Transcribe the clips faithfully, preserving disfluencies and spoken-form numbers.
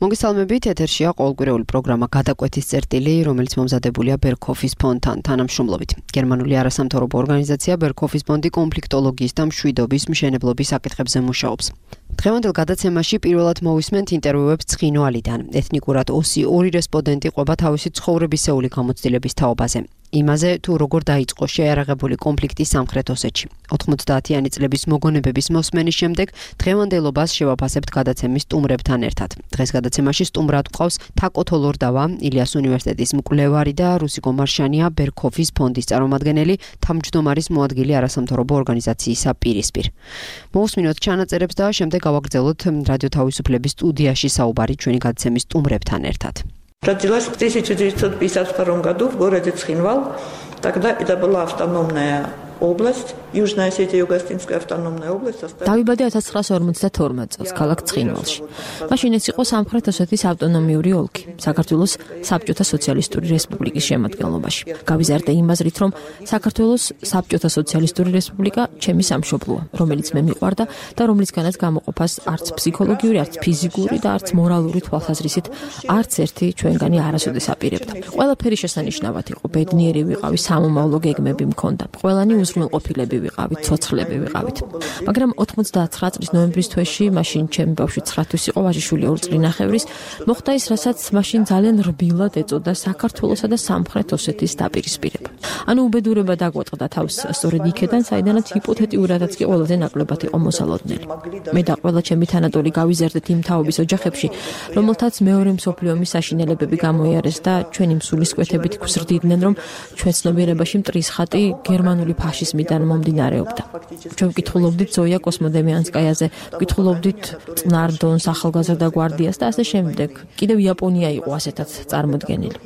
მოგესალმებით, ეთერშია ყოველკვირეული პროგრამა გადაკვეთის წერტილი, რომელიც მომზადებულია ბერქოფის ფონდთან თანამშრომლობით. გერმანული არასამთავრობო ორგანიზაცია ბერქოფის ფონდი კონფლიქტოლოგიის და მშვიდობის მშენებლობის საკითხებზე მუშაობს. დღევანდელ გადაცემაში პირველად მოვისმენთ ინტერვიუებს ცხინვალიდან. ეთნიკურად ოსი ორი რესპონდენტი ყვება თავისი ცხოვრებისეული გამოცდილების თაობაზე. იმაზე, თუ როგორ დაიწყო შეიარაღებული კონფლიქტი სამხრეთ ოსეთში. ოთხმოცდაათიანი წლების მოგონებების მოსმენის შემდეგ დღევანდელობას შევაფასებთ გადაცემის სტუმრებთან ერთად. დღეს გადაცემაში სტუმრად გვყავს თაკო თოლორდავა, ილიას უნივერსიტეტის მკვლევარი და რუსიკო მარშანია, ბერქოფის ფონდის წარმომადგენელი, თავმჯდომარის მოადგილე არასამთავრობო ორგანიზაციისა პირისპირ. მოვუსმინოთ ჩანაწერებს და შემდეგ გავაგრძელოთ რადიო თავისუფლების სტუდიაში საუბარი ჩვენი გადაცემის стумребთან ერთად. Родилась в тысяча девятьсот пятьдесят втором году в городе Цхинвал. Тогда это была автономная область, Южная Осетия, Юго-Осетинская автономная область. დავიბადე ათას ცხრაასი ორმოცდათორმეტ წელს ქალაქ ცხინვალში. მაშინ ეს იყო სამხრეთ ოსეთის ავტონომიური ოლქი, საქართველოს საბჭოთა სოციალისტური რესპუბლიკის შემადგენლობაში. გავიზარდე იმ აზრით, რომ საქართველოს საბჭოთა სოციალისტური რესპუბლიკა ჩემი სამშობლოა, რომელიც მე მიყვარდა და რომლისგანაც გამოყოფას არც ფსიქოლოგიური, არც ფიზიკური და არც მორალური თვალსაზრისით არც ერთი ჩვენგანი არასოდეს აპირებდა. ყველაფერი შესანიშნავად იყო, ბედნიერი ვიყავი, სამომავლო გეგმები მქონდა. ყველანი უზრუნველყოფილები ვიყავით, ცოცხლები ვიყავით. მაგრამ ოთხმოცდათცხრა წლის ნოემბრის თვეში, მაშინ ჩემი ბავშვი ცხრა თვის იყო, ვაჟიშვილი ორი წლინახევრის, მოხდა ის, რასაც მაშინ ძალიან რბილად ეწოდა საქართველოსა და სამხრეთ ოსეთის დაპირისპირება. ანუ უბედურება დაგვატყდა თავს სწორედ იქედან, საიდანაც ჰიპოთეტიურადაც კი ყველაზე ნაკლებად იყო მოსალოდნელი. მე და ყველა ჩემი თანატოლი გავიზარდეთ იმ თაობის ოჯახებში, რომელთაც მეორე მსოფლიო ომის საშინელებები გამოიარეს და ჩვენი მსულისკვეთებით გვზრდიდნენ, რომ ჩვენ ცნობიერებაში მტრის ხატი გერმანული ფაშიზმიდან მომდინარეობდა. ჩვენ ვკითხულობდით ზოია კოსმოდემიანსკაიაზე, ვკითხულობდით წნარ დონს, ახალგაზრდა გვარდიას და ასე შემდეგ. კიდევ იაპონია იყო ასეთაც წარმოდგენილი.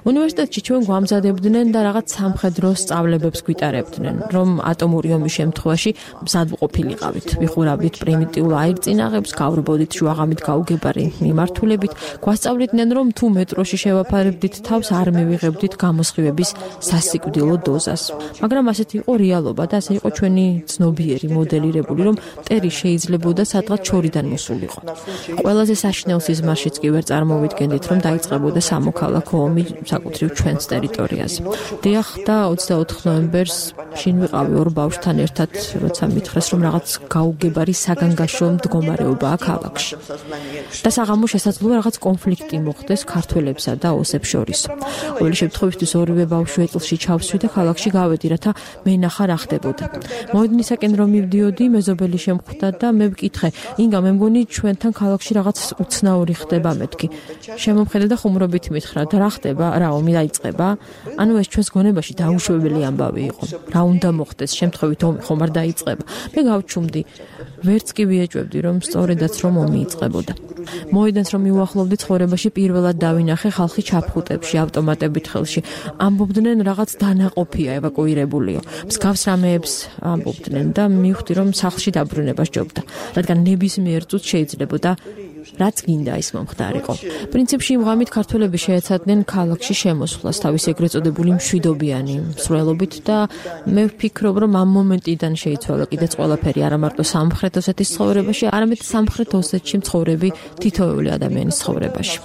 უნივერსიტეტში ჩვენ გვამზადებდნენ და რაღაც სამხედრო სწავლებებს გვიტარებდნენ, რომ ატომური ომის შემთხვევაში მზად ვყოფილიყავით. ვიხურავდით პრიმიტიულ აირწინაღებს, გავრბოდით შუაღამით გაუგებარი მიმართულებით, გვასწავლიდნენ, რომ თუ მეტროში შევაფარებდით თავს, არ მივიღებდით გამოსხივების სასიკვდილო დოზას. მაგრამ ასეთი იყო რეალობა და ასე იყო ჩვენი ცნობიერი მოდელირებული, რომ მტერი შეიძლებოდა სადღაც შორიდან მოსულიყო. ყველაზე საშინელ სიზმარშიც კი ვერ წარმოვიდგენდით, რომ დაიწყებოდა სამოქალაქო ომი საკუთრივ ჩვენს ტერიტორიაზე. დიახ და ოცდაოთხ ნოემბერს შინ ვიყავი ორ ბავშვთან ერთად, როცა მითხრეს, რომ რაღაც გაუგებარი საგანგაშო მდგომარეობაა ქალაქში. და საღამო შესაძლოა რაღაც კონფლიქტი მოხდეს ქართველებსა და ოსებს შორის. ყოველი შემთხვევისთვის ორივე ბავშვი ეწლში ჩავსვი და ქალაქში გავედი, რათა მე ნახა რა ხდებოდა. მოედნისაკენ რომ მივდიოდი, მეზობელი შემხვდა და მე ვკითხე, ინგა მე მგონი ჩვენთან ქალაქში რაღაც უცნაური ხდება მეთქი. შემომხედა და ხუმრობით მითხრა, და რა ხდება, რა ომი დაიწყება? ანუ ეს ჩვენს გონებაში დაუშვებელი ამბავი იყო. რა უნდა მოხდეს, შემთხვევით ომი ხომ არ დაიწყება? მე გავჩუმდი, ვერც კი ვიეჭვებდი, რომ სწორედაც რომ ომი იწყებოდა. მოედანს რომ მივუახლოვდი ცხოვრებაში, პირველად დავინახე ხალხი ჩაფხუტებში, ავტომატებით ხელში. ამბობდნენ რაღაც დანაყოფია, ევაკუირებულიო. მსგავს რამეებს ამბობდნენ და მივხვდი, რომ სახლში დაბრუნება სჯობდა, რადგან ნებისმიერ წუთს შეიძლებოდა რაც გინდა ის მომხდარიყო. პრინციპში იმ ღამით ქართველები შეეცადნენ ქალაქში შემოსვლას თავის ეგრეთ წოდებული მშვიდობიანი მსვლელობით და მე ვფიქრობ, რომ ამ მომენტიდან შეიცვალა კიდეც ყველაფერი არა მარტო სამხრეთ ოსეთის ცხოვრებაში, არამედ სამხრეთ ოსეთში მცხოვრები თითოეული ადამიანის ცხოვრებაში.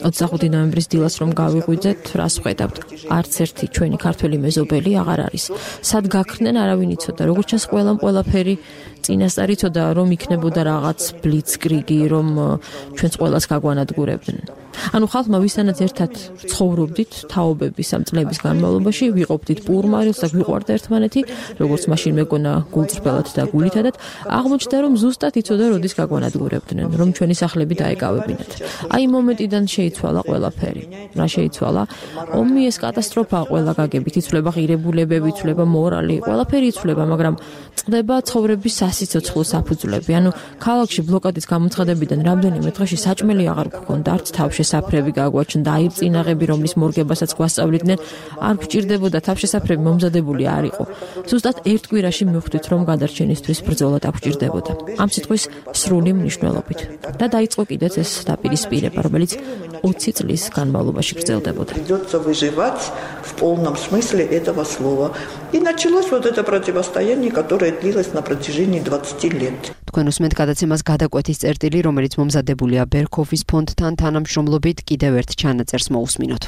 ოცდახუთი ნოემბრის დილას რომ გავიღვიძეთ, რას ვხედავთ? არც ერთი ჩვენი ქართველი მეზობელი აღარ არის. სად გაქრნენ, არავინ იცოდა. როგორც ჩანს, ყველამ ყველაფერი წინასწარ იცოდა, რომ იქნებოდა რაღაც ბლიცკრიგი, რომ ჩვენს ყველას გაგვანადგურებდნენ. ანუ ხალხმა ვისთანაც ერთად ცხოვრობდით თაობების ამ წლების განმავლობაში, ვიყოფდით პურმარილს და გვიყვარდა ერთმანეთი, როგორც მაშინ მეგონა გულწრფელად და გულითადად, აღმოჩნდა, რომ ზუსტად იცოდა, როდის გაგვანადგურებდნენ, რომ ჩვენი სახლები დაეკავებინათ. აი იმ მომენტიდან შეიცვალა ყველაფერი. რა შეიცვალა? ომი ეს კატასტროფაა ყველა გაგებით, იცვლება ღირებულებები, იცვლება მორალი, ყველაფერი იცვლება, მაგრამ წყდება ცხოვრების სასიცოცხლო საფუძვლები. ანუ ქალაქში ბლოკადის გამოცხადებიდან რამდენიმე დღეში საჭმელი აღარ გქონდა, არც თავშესაფრები გაგვაჩნდა, აირწინაღები, რომლის მორგებასაც გვასწავლიდნენ, არ გვჭირდებოდა, თავშესაფრები მომზადებული არ იყო. ზუსტად ერთ კვირაში მივხვდით, რომ გადარჩენისთვის ბრძოლა დაგვჭირდებოდა. ამ სიტყვის სრული მნიშვნელობით. და დაიწყო კიდეც ეს დაპირისპირება, რომელიც ოცი წლის განმავლობაში გრძელდებოდა. Придется выживать в полном смысле этого слова. И началось вот это противостояние, которое длилось на протяжении двадцати лет. თქვენ უსმენთ გადაცემას გადაკვეთის წერტილი, რომელიც მომზადებულია Berkhof-ის ფონდთან თანამშრომლობით, კიდევ ერთ ჩანაწერს მოусმინოთ.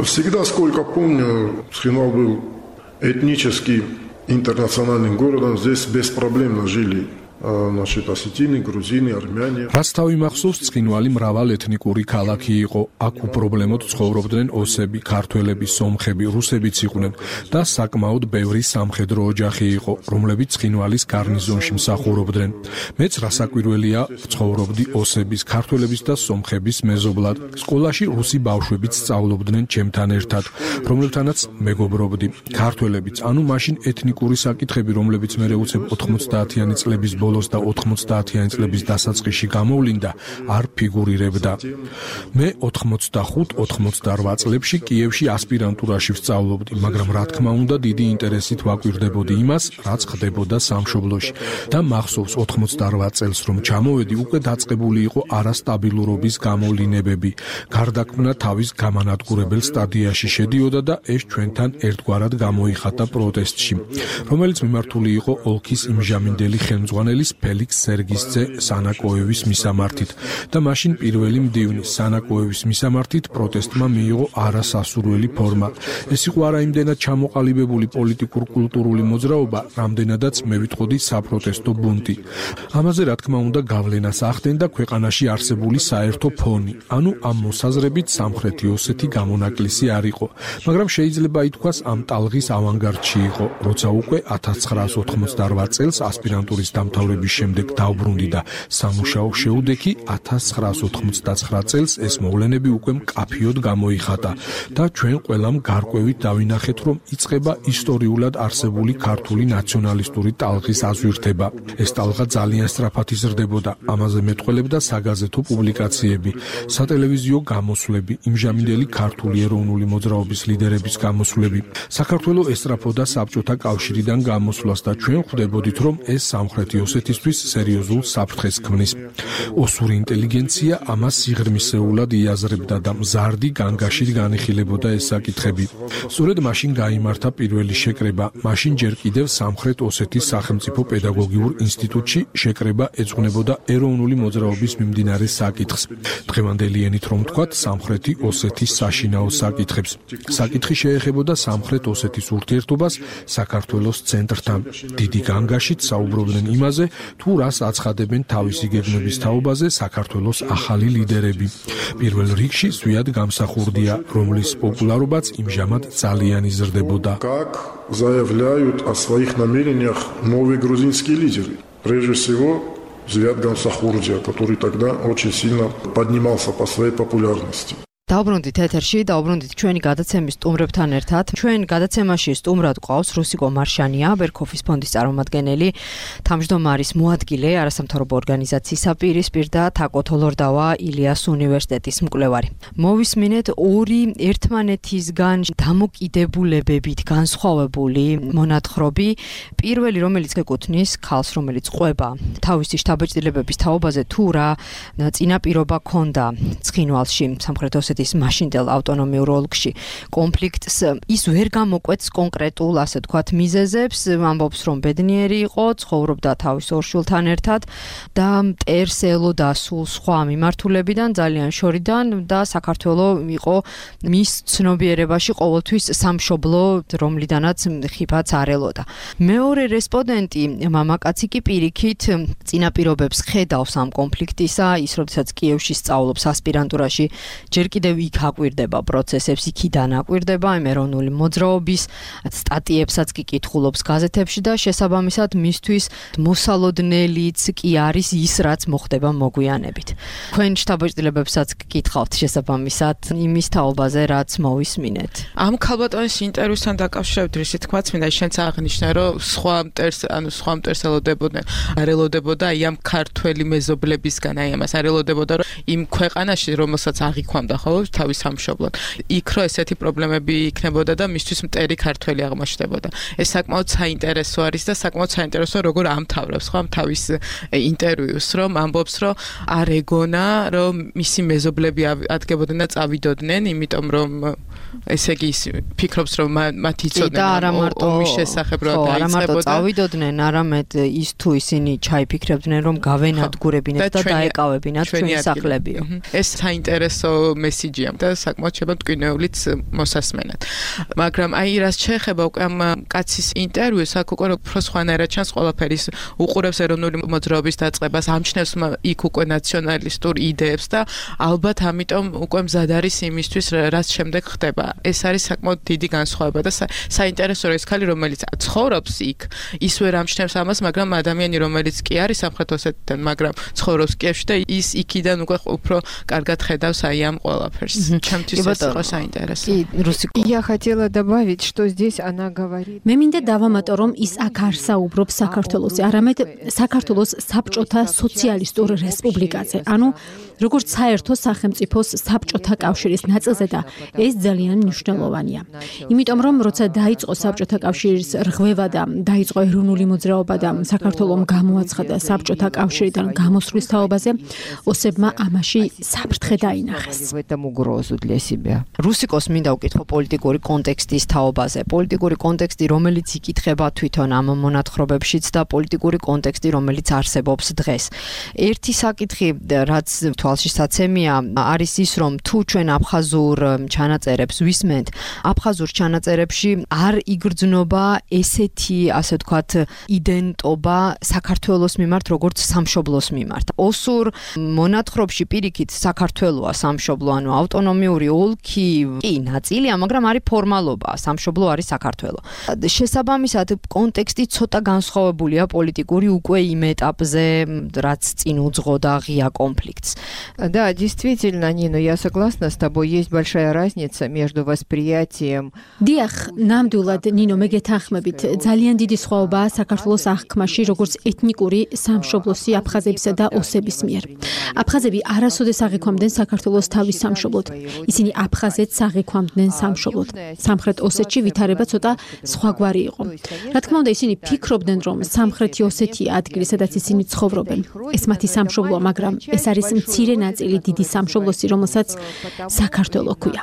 Всегда, сколько помню, Цхинвал был этнически интернациональным городом, здесь беспроблемно жили. Значит, осетины, грузины, армяне. რაც თავი მახსოვს, ცხინვალი მრავალ ეთნიკური ქალაქი იყო. აქ უპრობლემოდ ცხოვრობდნენ ოსები, ქართველები, სომხები, რუსებიც იყვნენ და საკმაოდ ბევრი სამხედრო ოჯახი იყო, რომლებიც ცხინვალის გარნიზონში მსახურობდნენ. მეც რასაკვირველია, ცხოვრობდი ოსების, ქართველების და სომხების მეზობლად. სკოლაში რუსი ბავშვებიც სწავლობდნენ ჩემთან ერთად, რომლებთანაც მეგობრობდი. ქართველებიც, ანუ მაშინ ეთნიკური საკითხები, რომლებიც მე უცებ ოთხმოცდაათიანი წლების ბოლოს და ოთხმოცდაათიანი წლების დასაწყისში გამოვლინდა, არ ფიგურირებდა. მე ოთხმოცდახუთ ოთხმოცდარვა წლებში კიევში ასპირანტურაში ვსწავლობდი, მაგრამ რა თქმა უნდა დიდი ინტერესით ვაკვირდებოდი იმას, რაც ხდებოდა სამშობლოში. და მახსოვს ოთხმოცდარვა წელს რომ ჩამოვედი, უკვე დაწყებული იყო არასტაბილურობის გამოვლინებები. გარდაქმნა თავის გამანადგურებელ სტადიაში შედიოდა და ეს ჩვენთან ერთგვარად გამოიხატა პროტესტში, რომელიც მიმართული იყო ოლქის იმჟამინდელი ხელმძღვანელი ფელიქს სერგისძე სანაკოევის მისამართით და მაშინ პირველი მდივნი სანაკოევის მისამართით პროტესტმა მიიღო არასასურველი ფორმა. ეს იყო არაიმდენად ჩამოყალიბებული პოლიტიკურ-კულტურული მოძრაობა, რამდენადაც მე ვიტყოდი საპროტესტო ბუნტი. ამაზე რა თქმა უნდა გავლენას ახდენდა ქვეყანაში არსებული საერთო ფონი, ანუ ამ მოსაზრებით სამხრეთი ოსეთი გამონაკლისი არ იყო, მაგრამ შეიძლება ითქვას ამ ტალღის ავანგარდში იყო, როცა უკვე ათას ცხრაას ოთხმოცდარვა წელს ასპირანტურის დამთავრების შემდეგ დაუბრუნდი და სამუშაო შეუდექი ათას ცხრაას ოთხმოცდაცხრა წელს ეს მოვლენები უკვე მკაფიოდ გამოიხატა და ჩვენ ყველამ გარკვევით დავინახეთ, რომ იწყება ისტორიულად არსებული ქართული ნაციონალისტური ტალღის აზვირთება. ეს ტალღა ძალიან სწრაფად იზრდებოდა, ამაზე მეტყველებდა საგაზეთო პუბლიკაციები, სატელევიზიო გამოსვლები, იმჟამინდელი ქართული ეროვნული მოძრაობის ლიდერების გამოსვლები. საქართველო ესწრაფოდა საბჭოთა კავშირიდან გამოსვლას და ჩვენ ხვდებოდით, რომ ეს სამხრეთი ოსეთისთვის სერიოზულ საფრთხეს ქმნის. ოსური ინტელიგენცია ამას სიღრმისეულად იაზრებდა და მზარდი განგაშით განიხილებოდა ეს საკითხები. სწორედ მაშინ გაიმართა პირველი შეკრება. მაშინ ჯერ კიდევ სამხრეთ ოსეთის სახელმწიფო პედაგოგიურ ინსტიტუტში შეკრება ეძღვნებოდა ეროვნული მოძრაობის მიმდინარე საკითხს. დღევანდელი ენით რომ ვთქვათ, სამხრეთი ოსეთის საშინაო საკითხებს. საკითხი შეეხებოდა სამხრეთ ოსეთის ურთიერთობას საქართველოს ცენტრთან. დიდი განგაშით საუბრობდნენ იმაზე, თუ რას აცხადებენ თავისი გეგმების თაობაზე საქართველოს ახალი ლიდერები. პირველ რიგში ზვიად გამსახურდია, რომლის პოპულარობაც იმჟამად ძალიან იზრდებოდა. Как заявляют о своих намерениях новые грузинские лидеры. Прежде всего, Зviad Gamsakhdия, который тогда очень сильно поднимался по своей популярности. Დაუბრუნდით ეთერში, დაუბრუნდით ჩვენი გადაცემის სტუმრებთან ერთად. ჩვენ გადაცემაში სტუმრად ყავს რუსიკო მარშანია, Berkhof-ის ფონდის წარმომადგენელი, თავმჯდომარის მოადგილე, არასამთავრობო ორგანიზაციის საპირისპირ და თაკო თოლორდავა ილიას უნივერსიტეტის მკვლევარი. მოვისმინეთ ორი ერთმანეთისგან დამოკიდებულებებით განსხვავებული მონათხრობი. პირველი, რომელიც ეკუთვნის ქალს, რომელიც ყვება თავისი შთაბეჭდილებების თაობაზე, თუ რა წინაპირობა ჰქონდა ცხინვალში, სამხრეთ ოსეთის მაშინდელ ავტონომიურ ოლქში კონფლიქტს, ის ვერ გამოკვეთს კონკრეტულ, ასე ვთქვათ, მიზეზებს, ამბობს, რომ ბედნიერი იყო, ცხოვრობდა თავის ორ შვილთან ერთად და მტერს ელოდა სულ სხვა მიმართულებიდან, ძალიან შორიდან და საქართველო იყო მის ცნობიერებაში ყოველთვის სამშობლო, რომლიდანაც ხიფაც არ ელოდა. მეორე რესპონდენტი, მამაკაცი კი პირიქით წინაპირობებს ხედავს ამ კონფლიქტისა, ის როდესაც კიევში სწავლობს ასპირანტურაში, ჯერ კიდევ იქ აკვირდება პროცესებს, იქიდან აკვირდება იმ ეროვნული მოძრაობის სტატიებსაც კი კითხულობს გაზეთებში და შესაბამისად მისთვის მოსალოდნელიც კი არის ის, რაც მოხდება მოგვიანებით. თქვენ შთაბეჭდილებებსაც გკითხავთ შესაბამისად იმის თაობაზე, რაც მოვისმინეთ. ამ ქალბატონის ინტერვიუსთან დაკავშირებით რისი თქვა, მინდა შენც აღნიშნე, რომ სხვა მტერს, ანუ სხვა მტერს ელოდებოდნენ, არ ელოდებოდა აი ამ ქართველი მეზობლებისგან, აი ამას არ ელოდებოდა, რომ იმ ქვეყანაში, რომელსაც აღიქვამდა, ხო, მუშაობს თავის სამშობლოდ. იქ რო ესეთი პრობლემები იქნებოდა და მისთვის მტერი ქართველი აღმოჩნდებოდა. ეს საკმაოდ საინტერესო არის და საკმაოდ საინტერესო როგორ ამთავრებს ხო თავის ინტერვიუს, რომ ამბობს, რომ არ ეგონა, რომ მისი მეზობლები ადგებოდნენ და წავიდოდნენ, იმიტომ რომ ესე იგი ფიქრობს, რომ მათ იცოდნენ ომის შესახებ რა დაიწყებოდა. არა მარტო წავიდოდნენ, არამედ ის თუ ისინი ჩაიფიქრებდნენ, რომ გავენადგურებინათ და დაეკავებინათ ჩვენი სახლებიო. ეს საინტერესო მესიჯია და საკმაოდ შეება მტკივნეულიც მოსასმენად. მაგრამ აი რას შეეხება უკვე ამ კაცის ინტერვიუს, აქ უკვე უფრო სხვანაირად ჩანს ყველაფერი, უყურებს ეროვნული მოძრაობის დაწყებას, ამჩნევს იქ უკვე ნაციონალისტურ იდეებს და ალბათ ამიტომ უკვე მზად არის იმისთვის, რაც შემდეგ ხდება. ეს არის საკმაოდ დიდი განსხვავება და საინტერესოა ეს ქალი, რომელიც ცხოვრობს იქ, ის ვერ ამჩნევს ამას, მაგრამ ადამიანი, რომელიც კი არის სამხრეთ ოსეთიდან, მაგრამ ცხოვრობს კიევში და ის იქიდან უკვე უფრო კარგად ხედავს აი ამ ყველაფერს. ჩემთვის ეს იყო საინტერესო. Я хотела добавить, что здесь она говорит. მე მინდა დავამატო, რომ ის აქ არ საუბრობს საქართველოსზე, არამედ საქართველოს საბჭოთა სოციალისტურ რესპუბლიკაზე. ანუ როგორც საერთო სახელმწიფოს საბჭოთა კავშირის ნაწილზე და ეს ძალიან მნიშვნელოვანია. იმიტომ რომ როცა დაიწყო საბჭოთა კავშირის რღვევა და დაიწყო ეროვნული მოძრაობა და საქართველოს გამოაცხადა საბჭოთა კავშირიდან გამოსვლის თაობაზე, ოსებმა ამაში საფრთხე დაინახეს. В этом угрозу для себя. რუსიკოს მინდა უკითხო პოლიტიკური კონტექსტის თაობაზე. პოლიტიკური კონტექსტი, რომელიც იკითხება თვითონ ამ მონათხრობებშიც და პოლიტიკური კონტექსტი, რომელიც არსებობს დღეს. ერთი საკითხი, რაც თვალშისაცემია, არის ის, რომ თუ ჩვენ აფხაზურ ჩანაწერებს ვისმენთ, აფხაზურ ჩანაწერებში არ იგრძნობა ესეთი, ასე ვთქვათ, იდენტობა საქართველოს მიმართ, როგორც სამშობლოს მიმართ. ოსურ მონათხრობში პირიქით საქართველოა სამშობლო, ანუ ავტონომიური ოლქი კი ნაწილია, მაგრამ არის ფორმალობა, სამშობლო არის საქართველო. შესაბამისად, კონტექსტი ცოტა განსხვავებულია პოლიტიკური უკვე იმ ეტაპზე, რაც წინ უძღოდა ღია კონფლიქტს. Да, действительно, Нина, я согласна с тобой, есть большая разница между восприятием. დიახ, ნამდვილად, ნინო, მე გეთანხმებით, ძალიან დიდი სხვაობაა საქართველოს აღქმაში, როგორც ეთნიკური სამშობლოსი აფხაზებისა და ოსების მიერ. აფხაზები არასოდეს აღიქვამდნენ საქართველოს თავის სამშობლოდ. ისინი აფხაზეთს აღიქვამდნენ სამშობლოდ. სამხრეთ ოსეთში ვითარება ცოტა სხვაგვარი იყო. რა თქმა უნდა, ისინი ფიქრობდნენ, რომ სამხრეთი ოსეთია ადგილი, სადაც ისინი ცხოვრობენ. ეს მათი სამშობლოა, მაგრამ ეს არის მცირე ნაწილი დიდი სამშობლოსი, რომელსაც საქართველო ჰქვია.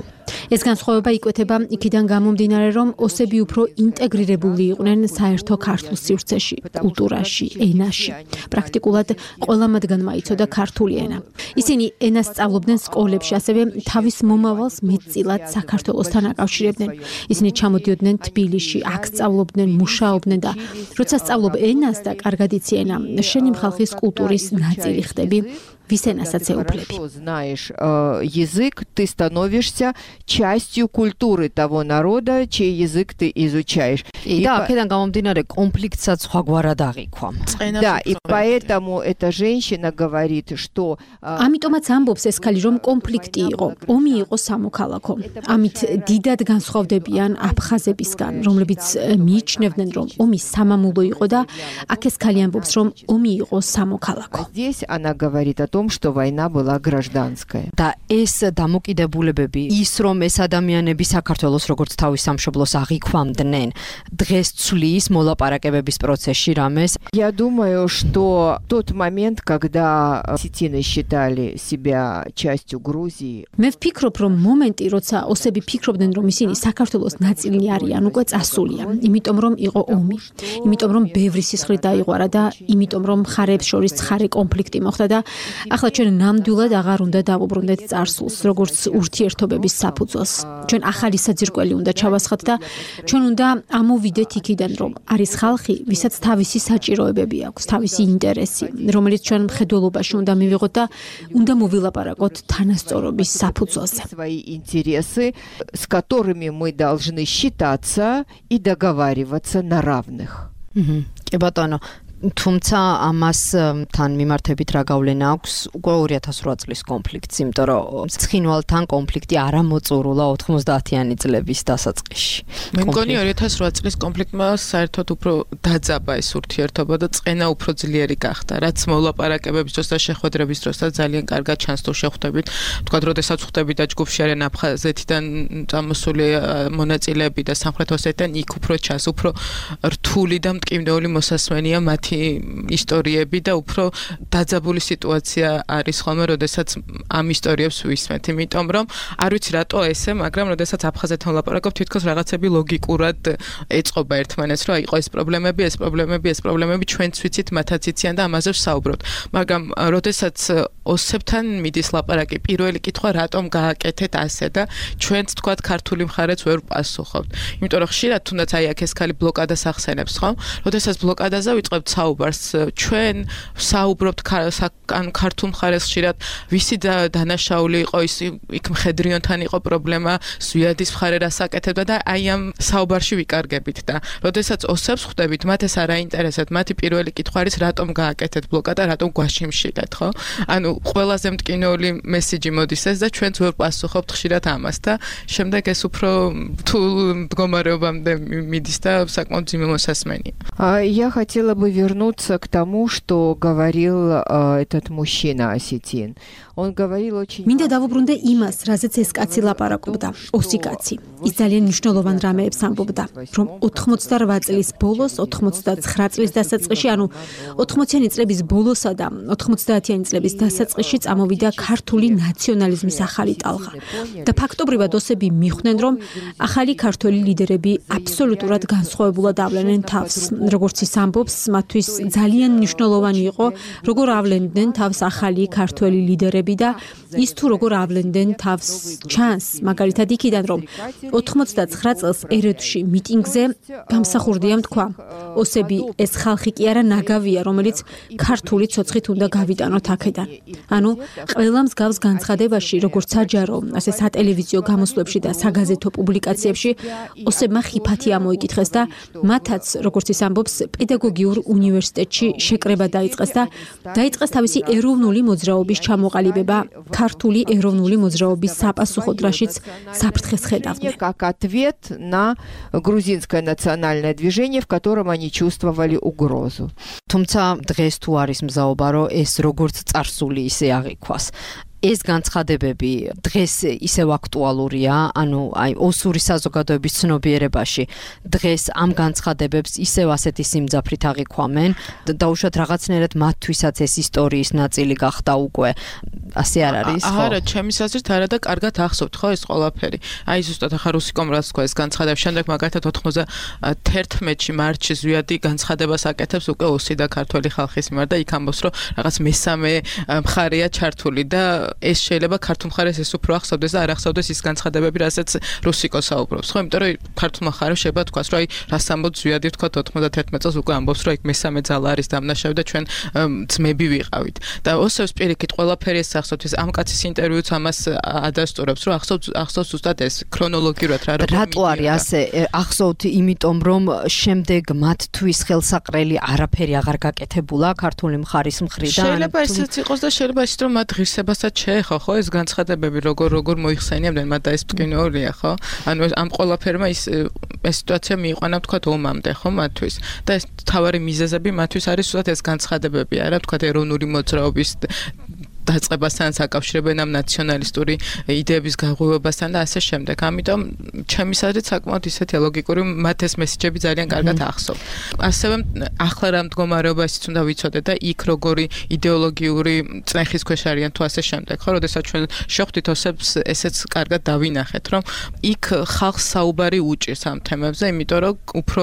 ეს განსხვავება იკვეთება იქიდან გამომდინარე, რომ ოსები უფრო ინტეგრირებული იყვნენ საერთო ქართულ სივრცეში, კულტურაში, ენაში. პრაქტიკულად ყველა მათგანმა იცოდა ქართული ენა. ისინი ენას სწავლობდნენ სკოლებში, ასევე თავის მომავალს მეტწილად საქართველოსთან აკავშირებდნენ. ისინი ჩამოდიოდნენ თბილისში, აქ სწავლობდნენ, მუშაობდნენ და როცა სწავლობ ენას და კარგად იცი ენა, შენი ხალხის კულტურის ნაწილი ხდები. Висенасаце уплеби. Знаешь э, язык, ты становишься частью культуры того народа, чей язык ты изучаешь. И да, აქედან გამომდინარე კონფლიქტსაც სხვაგვარად აღიქვა. Да, и поэтому эта женщина говорит, что ამიტომაც ამბობს ეს ქალი, რომ კონფლიქტი იყო, ომი იყო სამოქალაქო. ამით დიდად განსხვავდებიან აფხაზებისგან, რომლებიც მიიჩნევდნენ, რომ ომი სამამულო იყო და აქ ეს ქალი ამბობს, რომ ომი იყო სამოქალაქო. Здесь она говорит о том, что война была гражданская. და ეს დამოკიდებულებები, ის რომ ეს ადამიანები საქართველოს როგორც თავის სამშობლოს აღიქვამდნენ, დღეს ცვლის მოლაპარაკებების პროცესში რამეს. Я думаю, что тот момент, когда осетины считали себя частью Грузии. მე ვფიქრობ, რომ მომენტი, როცა ოსები ფიქრობდნენ, რომ ისინი საქართველოს ნაწილი არიან, უკვე წასულია. იმიტომ რომ იყო ომი. იმიტომ რომ ბევრი სისხლი დაიღვარა და იმიტომ რომ მხარეებს შორის ცხარე კონფლიქტი მოხდა და ახლა ჩვენ ნამდვილად აღარ უნდა დავუბრუნდეთ წარსულს, როგორც ურთიერთობების საფუძველს. ჩვენ ახალი საძირკველი უნდა ჩავასხათ და ჩვენ უნდა ამოვიდეთ იქიდან, რომ არის ხალხი, ვისაც თავისი საჭიროებები აქვს, თავისი ინტერესი, რომელიც ჩვენ მხედველობაში უნდა მივიღოთ და უნდა მოვილაპარაკოთ თანასწორობის საფუძველზე. Свои интересы, с которыми мы должны считаться и договариваться на равных. კი ბატონო, თუმცა ამას თან მიმართებით რა გავლენა აქვს უკვე ორი ათას ორი წლის კონფლიქტს, იმიტომ რომ ცხინვალთან კონფლიქტი არ ამოწურულა ოთხმოცდაათიანი წლების დასაწყისში. მე მგონი ორი ათას ორი წლის კონფლიქტმა საერთოდ უფრო დაძაბა ეს ურთიერთობა და წენა უფრო ძლიერი გახდა, რაც მოლაპარაკებების დროს და შეხვედრების დროსაც ძალიან კარგად ჩანს თუ შეხვდებით. თქვა, როდესაც ხვდებით და ჯგუფში არიან აფხაზეთიდან წამოსული მონაწილეები და სამხრეთ ოსეთიდან, იქ უფრო ჩანს, უფრო რთული და მტკივნეული მოსასმენია მათი ისტორიები და უფრო დაძაბული სიტუაცია არის ხოლმე, როდესაც ამ ისტორიებს ვისმენთ, იმიტომ რომ არ ვიცი რატო ესე, მაგრამ როდესაც აფხაზეთთან ვლაპარაკობ, თითქოს რაღაცები ლოგიკურად ეწყობა ერთმანეთს, რომ იყო ეს პრობლემები, ეს პრობლემები, ეს პრობლემები ჩვენც ვიცით, მათაც იციან და ამაზე ვსაუბრობთ. მაგრამ როდესაც ოსებთან მიდის ლაპარაკი, პირველი კითხვა რატომ გააკეთეთ ასე და ჩვენც თქვათ ქართული მხარეც ვერ პასუხობთ. იმიტომ რომ ხშირად თუნდაც აი აქ ეს ხალი ბლოკადას ახსენებს, ხო? როდესაც ბლოკადაზე ვიწყებთ საუბარს, ჩვენ ვსაუბრობთ ან ქართულ მხარეს ხშირად ვისი დანაშაული იყო ის იქ მხედრიონთან იყო პრობლემა, ზვიადის მხარე რას აკეთებდა და აი ამ საუბარში ვიკარგებით და როდესაც ოსებს ხვდებით, მათ ეს არ აინტერესებთ, მათი პირველი კითხვა არის რატომ გააკეთეთ ბლოკადა, რატომ გვაშიმშილეთ, ხო? ანუ ყველაზე მტკივნეული მესიჯი მოდის ეს და ჩვენც ვერ პასუხობთ ხშირად амас და შემდეგ ეს უფრო რთულ მდგომარეობამდე მიდის და საკმაოდ ძიმე მოსასმენია. Я хотела бы вернуться к тому, что говорил этот мужчина осетин. Он говорил очень მინდა დავუბრუნდე იმას, რაზეც ეს კაცი ლაპარაკობდა, ოსი კაცი. ის ძალიან მნიშვნელოვან რამეებს ამბობდა, რომ ოთხმოცდაორ წლის ბოლოს, ოთხმოცდაცხრა წლის დასაწყისში, ანუ ოთხმოციანი წლების ბოლოსა და ოთხმოცდაათიანი წლების დასაწყისში წამოვიდა ქართული ნაციონალიზმის ახალი ტალღა. და ფაქტობრივად ოსები მიხვდნენ, რომ ახალი ქართველი ლიდერები აბსოლუტურად განსხვავებულად ავლენენ თავს. როგორც ის ამბობს, მათთვის ძალიან მნიშვნელოვანი იყო, როგორ ავლენდნენ თავს ახალი ქართველი ლიდერები და ის თუ როგორ ავლენდნენ თავს ჩანს, მაგალითად იქიდან, რომ ოთხმოცდაცხრა წელს ერედში მიტინგზე გამსახურდია თქვა, ოსები ეს ხალხი კი არა ნაგავია, რომელიც ქართული ცოცხით უნდა გავიტანოთ აქედან. ანუ ყველა მსგავს განცხადებაში, როგორც საჯარო, ასე სატელევიზიო გამოსვლებში და საგაზეთო პუბლიკაციებში, ოსებმა ხიფათი ამოიკითხეს და მათაც, როგორც ის ამბობს, პედაგოგიურ უნივერსიტეტში შეკრება დაიწყეს და დაიწყეს თავისი ეროვნული მოძრაობის ჩამოყალიბება, ქართული ეროვნული მოძრაობის საპასუხოდ, რაშიც საფრთხეს ხედავდნენ. Как ответ на грузинское национальное движение, в котором они чувствовали угрозу. თუმცა დღეს თუ არის მზაობა, რომ ეს როგორც წარსული ისე აღიქვას. ეს განცხადებები დღეს ისევ აქტუალურია, ანუ აი ოსური საზოგადოების ცნობიერებაში დღეს ამ განცხადებებს ისევ ასეთი სიმძაფრით აღიქვამენ და დაუშვათ რაღაცნაირად მათთვისაც ეს ისტორიის ნაწილი გახდა უკვე. ასე არ არის, ხო? არა, ჩემის აზრით არა და კარგად ახსოვთ, ხო, ეს ყველაფერი. აი ზუსტად ახლა რუსიკომ რაც თქვა ეს განცხადება, შემდეგ მაგალითად ოთხმოცდათერთმეტში მარტში ზვიადი განცხადებას აკეთებს უკვე ოსი და ქართველი ხალხის მიმართ და იქ ამბობს, რომ რაღაც მესამე მხარეა ჩართული და ეს შეიძლება ქართულ მხარეს ეს უფრო ახსოვდეს და არ ახსოვდეს ის განცხადებები, რასაც რუსიკო საუბრობს, ხო? იმიტომ რომ ქართულ მხარეს შეიძლება თქვას, რომ აი რას ამბობს ზვიადი თქვა ოთხმოცდათერთმეტ წელს უკვე ამბობს, რომ იქ მესამე ძალა არის დამნაშავე და ჩვენ ძმები ვიყავით. და ოსებს პირიქით ყველაფერი ეს ახსოვთ, ეს ამ კაცის ინტერვიუც ამას ადასტურებს, რომ ახსოვთ ახსოვთ ზუსტად ეს ქრონოლოგიურად რა როგორ რატო არის ასე ახსოვთ, იმიტომ რომ შემდეგ მათთვის ხელსაყრელი არაფერი აღარ გაკეთებულა ქართული მხარის მხრიდან. შეიძლება ესეც იყოს და შეიძლება ისიც რომ მათ ღირსებასაც შეეხო, ხო, ეს განცხადებები როგორ როგორ მოიხსენიებდნენ მათ და ეს მტკივნეულია, ხო? ანუ ამ ყველაფერმა ის ეს სიტუაცია მიიყვანა თქვა ომამდე, ხო, მათთვის. და ეს თავარი მიზეზები მათთვის არის ზუსტად ეს განცხადებები, არა, თქვა ეროვნული მოძრაობის დაწყებასთან საკავშირებენ ამ ნაციონალისტური იდეების გაღვივებასთან და ასე შემდეგ. ამიტომ ჩემის აზრით საკმაოდ ისეთი ლოგიკური მათ ეს მესიჯები ძალიან კარგად ახსოვთ. ასევე ახლა რა მდგომარეობა ისიც უნდა ვიცოდეთ და იქ როგორი იდეოლოგიური წნეხის ქვეშ არიან თუ ასე შემდეგ. ხო, როდესაც ჩვენ შეხვდით ოსებს, ესეც კარგად დავინახეთ, რომ იქ ხალხს საუბარი უჭირს ამ თემებზე, იმიტომ რომ უფრო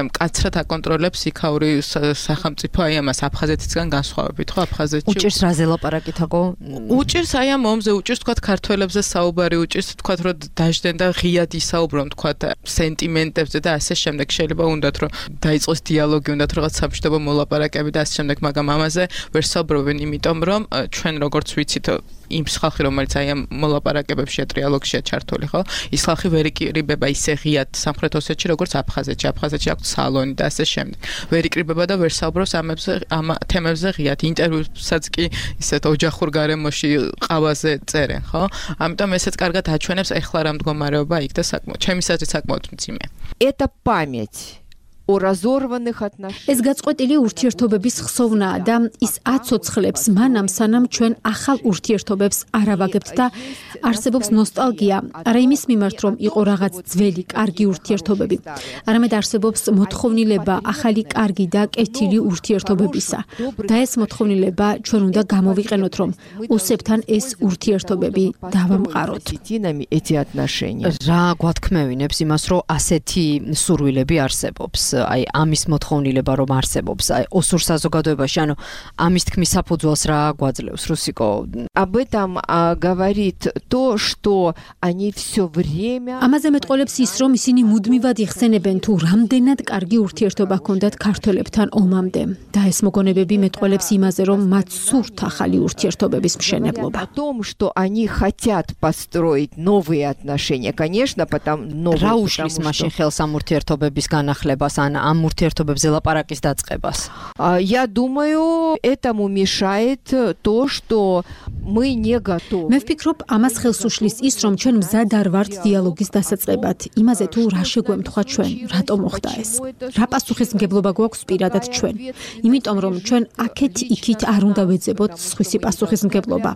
მკაცრად აკონტროლებს იქაური სახელმწიფო აი ამას აფხაზეთისგან განსხვავებით, ხო, აფხაზეთში უჭირს რაზე ლაპარაკი უჭირს აი ამ ომზე, უჭირს თქვათ ქართველებზე საუბარი, უჭირს თქვათ რომ დაждენ და ღიად ისაუბრონ თქვათ სენტიმენტებზე და ასე შემდეგ. შეიძლება უნდათ რომ დაიწყოს დიალოგი, უნდათ რაღაც სამშვიდობო მოლაპარაკები და ასე შემდეგ, მაგრამ ამაზე ვერ საუბრობენ, იმიტომ რომ ჩვენ როგორც ვიცით იმ ხალხი რომელიც აი ამ მოლაპარაკებებში ტრიალოგშია ჩართული, ხო? ის ხალხი ვერ იკრიბება ისე ღიად სამხრეთ ოსეთში, როგორც აფხაზეთში. აფხაზეთში აქვს სალონი და ასე შემდეგ. ვერ იკრიბება და ვერ საუბრობს ამებზე, ამ თემებზე ღიად. ინტერვიუსაც კი ისეთ ოჯახურ გარემოში ყავაზე წერენ, ხო? ამიტომ ესეც კარგად აჩვენებს ეხლა რა მდგომარეობა იქ და საკმაოდ, ჩემის აზრით საკმაოდ მძიმე. Это память о разорванных отношениях. ეს გაწყვეტილი ურთიერთობების ხსოვნაა და ის აცოცხლებს მანამ სანამ ჩვენ ახალ ურთიერთობებს არ ავაგებთ და არსებობს ნოსტალგია, არა იმის მიმართ რომ იყო რაღაც ძველი კარგი ურთიერთობები, არამედ არსებობს მოთხოვნილება ახალი კარგი და კეთილი ურთიერთობებისა. და ეს მოთხოვნილება ჩვენ უნდა გამოვიყენოთ რომ ოსებთან ეს ურთიერთობები დავამყაროთ. эти отношения. რა გვათქმევინებს იმას რომ ასეთი სურვილები არსებობს? აი ამის მოთხოვნილება რომ არსებობს აი ოსურ საზოგადოებაში ანუ ამის თქმის საფუძველს რა გვაძლევს რუსიკო об этом говорит то что они всё время ამაზე მეტყოლებს ის რომ ისინი მუდმივად იხსენებენ თუ რამდენად კარგი ურთიერთობა ჰქონდათ ქართველებთან ომამდე და ეს მოგონებები მეტყოლებს იმაზე რომ მათ სურთ ახალი ურთიერთობების მშენებლობა о том что они хотят построить новые отношения конечно потому новые რა უშლის მაშინ ხელს ამ ურთიერთობების განახლებას ან ამ ურთიერთობებზე ლაპარაკის დაწყებას. Я думаю, этому мешает то, что мы не готовы. მე ვფიქრობ, ამას ხელს უშლის ის, რომ ჩვენ მზად არ ვართ დიალოგის დასაწყებად. იმაზე თუ რა შეგვემთხვა ჩვენ, რატომ მოხდა ეს? რა პასუხისმგებლობა გვაქვს პირადად ჩვენ? იმიტომ რომ ჩვენ აქეთ-იქით არ უნდა ვეძებოთ სხვისი პასუხისმგებლობა.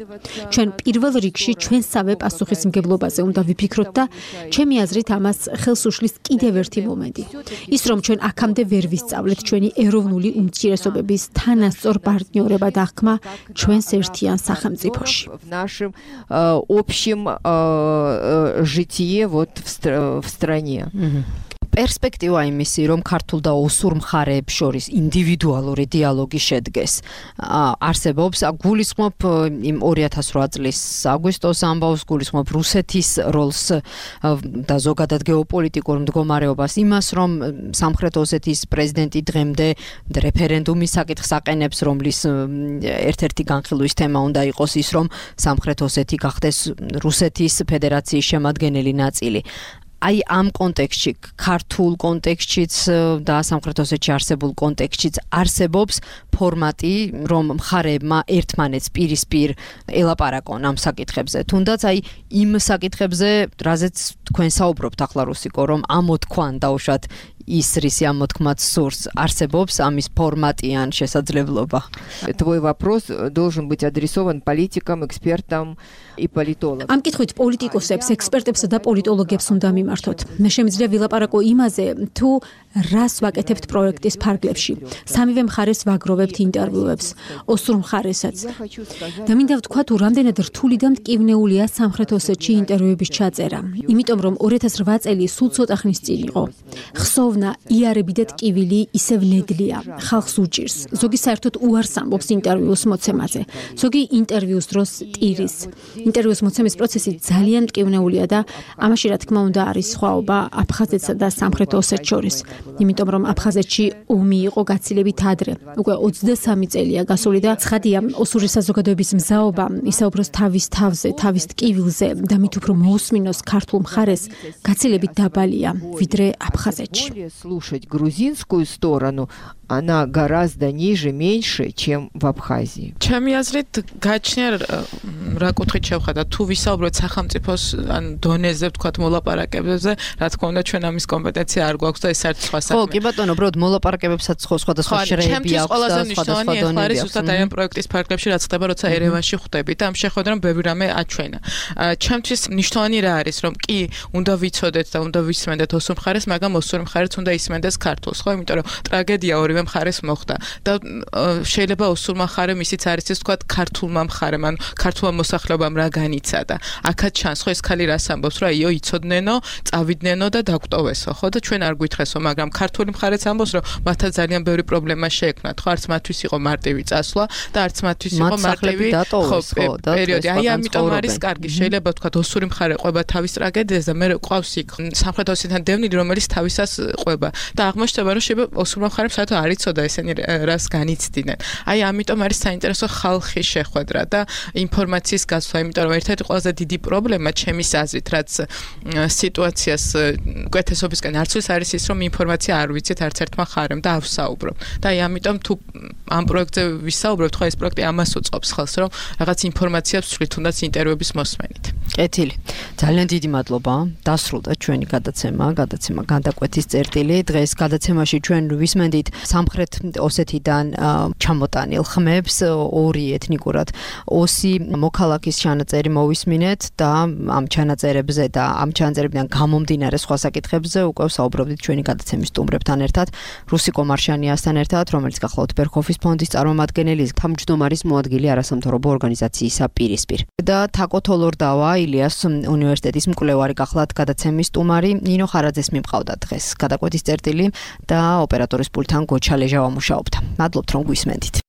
ჩვენ პირველ რიგში ჩვენსავე პასუხისმგებლობაზე უნდა ვიფიქროთ და ჩემი აზრით ამას ხელს უშლის კიდევ ერთი მომენტი. ის რომ ჩვენ აქამდე ვერ ვისწავლეთ ჩვენი ეროვნული უმცირესობების თანასწორ პარტნიორება და ხმა ჩვენს ერთიან სახელმწიფოში. В нашем общем житие вот в стране. პერსპექტივა იმისი, რომ ქართულ და ოსურ მხარეებს შორის ინდივიდუალური დიალოგი შედგეს. არსებობს, გულისხმობ იმ ორი ათას რვა წლის აგვისტოს ამბავს, გულისხმობ რუსეთის როლს და ზოგადად გეოპოლიტიკურ მდგომარეობას, იმას, რომ სამხრეთ ოსეთის პრეზიდენტი დღემდე რეფერენდუმის საკითხს აყენებს, რომლის ერთ-ერთი განხილვის თემა უნდა იყოს ის, რომ სამხრეთ ოსეთი გახდეს რუსეთის ფედერაციის შემადგენელი ნაწილი. აი ამ კონტექსტში, ქართულ კონტექსტშიც და სამხრეთ ოსეთში არსებულ კონტექსტშიც არსებობს ფორმატი, რომ მხარეებმა ერთმანეთს პირისპირ ელაპარაკონ ამ საკითხებზე. თუნდაც აი იმ საკითხებზე, რაზეც თქვენ საუბრობთ ახლა რუსიკო, რომ ამოთქვან დაუშვათ ის რისი ამოთქმაც სურს, არსებობს ამის ფორმატი ან შესაძლებლობა. Твой вопрос должен быть адресован политикам, экспертам и политологам. ამ კითხვით პოლიტიკოსებს, ექსპერტებს და პოლიტოლოგებს უნდა მიმართოთ. მე შემიძლია ვილაპარაკო იმაზე, თუ რას ვაკეთებთ პროექტის ფარგლებში. სამივე მხარეს ვაგროვებთ ინტერვიუებს, ოსურ მხარესაც. და მინდა ვთქვა, თუ რამდენად რთული და მტკივნეულია სამხრეთ ოსეთში ინტერვიუების ჩაწერა. იმიტომ რომ ორი ათას რვა წელი სულ ცოტა ხნის წინ იყო. ხსოვნა, იარები და ტკივილი ისევ ნედლია, ხალხს უჭირს. ზოგი საერთოდ უარს ამბობს ინტერვიუს მოცემაზე. ზოგი ინტერვიუს დროს ტირის. ინტერვიუს მოცემის პროცესი ძალიან მტკივნეულია და ამაში რა თქმა უნდა არის სხვაობა აფხაზეთსა და სამხრეთ ოსეთს შორის. იმიტომ რომ აფხაზეთში ომი იყო გაცილებით ადრე. უკვე ოცდასამი წელია გასული და ცხადია ოსური საზოგადოების მზაობა ისაუბროს თავის თავზე, თავის ტკივილზე და მით უფრო მოусმინოს ქართულ მხარეს გაცილებით დაბალია ვიდრე აფხაზეთში. Слушать грузинскую сторону она гораздо ниже, меньше, чем в Абхазии. ჩემი აზრით გაჩნია რა კუთხით შევხედა თუ ვისაუბროთ სახელმწიფოს ან დონეზე ვთქვათ მოლაპარაკებებზე, რა თქმა უნდა ჩვენ ამის კომპეტენცია არ გვაქვს და ეს არის სხვა საქმე. ხო, კი ბატონო, უბრალოდ მოლაპარაკებებსაც ხო სხვადასხვა შრეები აქვს და სხვადასხვა დონეები აქვს. ზუსტად აი ამ პროექტის ფარგლებში რაც ხდება, როცა ერევანში ხვდებით და ამ შეხვედრამ ბევრი რამე აჩვენა. ჩემთვის მნიშვნელოვანი რა არის, რომ კი უნდა ვიცოდეთ და უნდა ვისმენდეთ ოსურ მხარეს, მაგრამ ოსურ მხარეც უნდა ისმენდეს ქართულს, ხო? იმიტომ რომ ტრაგედია ორივე მხარეს მოხდა და შეიძლება ოსურმა მხარემ ისიც არის ეს ვთქვათ ქართულმა მხარემ, ანუ ქართულმა მოსახლეობამ რა განიცადა. აქაც ჩანს ხო ეს ხალი რას ამბობს, რა იო იცოდნენ, წავიდნენ და დაგვტოვესო, ხო? და ჩვენ არ გვითხრესო, მაგრამ ქართული მხარეც ამბობს, რომ მათთან ძალიან ბევრი პრობლემა შეექმნათ, ხო? არც მათთვის იყო მარტივი წასვლა და არც მათთვის იყო მარტივი პერიოდი. აი ამიტომ არის კარგი, შეიძლება ვთქვათ ოსური მხარე ყვება თავის ტრაგედიას და მე ყავს იქ სამხრეთ ოსეთთან დევნილი, რომელიც თავისას ყვება და აღმოჩნდება, რომ შეიძლება ოსურმა მხარემ საერთოდ არ არ იცოდა ესენი რას განიცდიდნენ. აი ამიტომ არის საინტერესო ხალხის შეხვედრა და ინფორმაციის გაცვლა, იმიტომ რომ ერთ-ერთი ყველაზე დიდი პრობლემა ჩემის აზრით, რაც სიტუაციას უკეთესობისკენ არცვის არის ის, რომ ინფორმაცია არ ვიცით არც ერთმა ხარემ და ავსაუბრობ. და აი ამიტომ თუ ამ პროექტზე ვისაუბრებთ, ხო ეს პროექტი ამას უწყობს ხელს, რომ რაღაც ინფორმაციას ვცვლით, თუნდაც ინტერვიუების მოსმენით. კეთილი. ძალიან დიდი მადლობა. დასრულდა ჩვენი გადაცემა, გადაცემა განდაკვეთის წერტილი. დღეს გადაცემაში ჩვენ ვისმენდით სამხრეთ ოსეთიდან ჩამოტანილ ხმებს, ორი ეთნიკურად ოსი მოქალაქის ჩანაწერი მოვისმინეთ და ამ ჩანაწერებზე და ამ ჩანაწერებიდან გამომდინარე სხვა საკითხებზე უკვე საუბრობდით ჩვენი გადაცემის სტუმრებთან ერთად, რუსიკო მარშანიასთან ერთად, რომელიც გახლავთ ბერქოფის ფონდის წარმომადგენელი, თავმჯდომარის მოადგილე არასამთავრობო ორგანიზაციისა პირისპირ. და თაკო თოლორდავა ილიას უნივერსიტეტის მკვლევარი გახლავთ გადაცემის სტუმარი, ნინო ხარაძეს მიმყავდა დღეს გადაკვეთის წერტილი და ოპერატორის პულტთან გოჩა ლეჟავა მუშაობდა. მადლობთ რომ გვისმენდით.